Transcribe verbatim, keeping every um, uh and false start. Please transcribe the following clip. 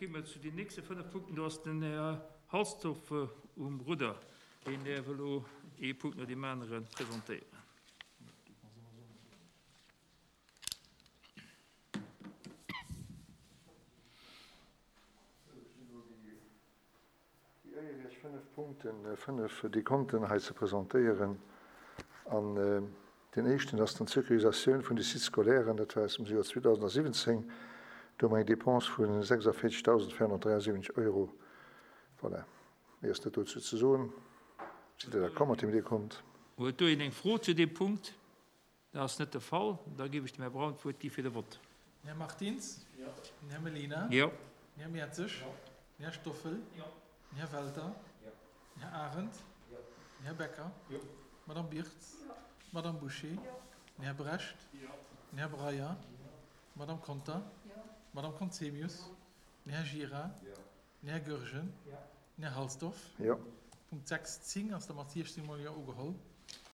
gi mer zu den nächste fënnef Punkten. Do ass den Här Halsdorf um Rudder, deen däerf elo ee Punkt no deem anere presentéieren. Déi Éier, Iech fënnef Punkten, fënnef Dekonten hei ze presentéieren. An deen éischten ass dann d'Sécurisatioun vun de Sites scolairen. Dat war aus dem Joer zweedausendsiwwenzéng. Do hu mer eng Dépense vu sechsundvierzigtausendvierhundertdräiundsiwwenzeg Euro. Voilà, méi ass net dozou ze soen. Sidd Der d'accord mat deem Dekont? Huet do een eng Fro zu deem Punkt? Dat ass net de Fall. Da géif ech dem Här Braun d'Wuert gi fir de Vott. Den Här Martins? Jo. Den Här Mellina? Jo. Den Här Mertzig? Jo. Den Här Stoffel? Jo. Den Här Welter? Jo. Den Här Arendt? Jo. Den Här Becker? Jo. D'Madame Birtz? Jo. D'Madame Bouché? Jo. Den Här Brecht? Jo. Den Här Breyer? Jo. D'Madame Conter? Jo. D'Madame Conzemius? Jo. Den Här Gira? Jo. Den Här Goergen? Jo. Den Här Halsdorf? Jo. Punkt sechs, zéng ass der mat siechzéng mol Jo ugeholl.